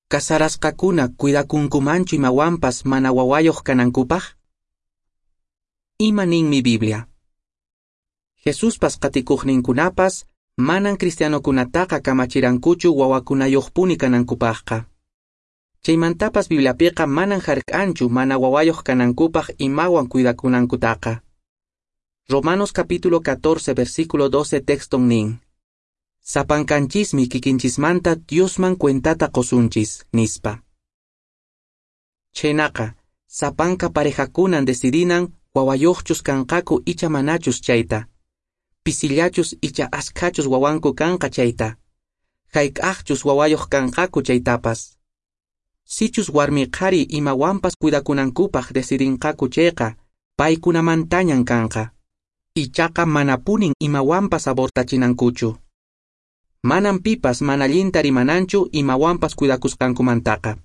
Casarasqakuna cuidakunkumanchu imawanpas mana wawayoq kanankupaq? Ima ninmi Biblia? Jesuspas qatikuqninkunapas manan cristianokunataqa kamachirankuchu wawakunayoqpuni kanankupaqqa. Chaymantapas Bibliapiqa manan hark'anchu mana wawayoq kanankupaq imawan cuidakunankutaqa. Romanos capítulo 14 versículo 12 texton nin: Sapankanchismi kikinchismanta Diosman cuentata qosunchis, nispa. Chhaynaqa, sapanka parejakunan decidinan wawayoqchus kanqaku icha manachus chayta. Pisillachus icha askhachus wawanku kanqa chayta. Hayk'aqchus wawayoq kanqaku chaytapas. Sichus warmi qhari imawanpas cuidakunankupaq decidinqaku chayqa, paykunamantañan kanqa. Ichaqa manapunin imawanpas abortachinankuchu. Manan pipas mana allinta rimananchu imawanpas cuidakusqankumantaqa.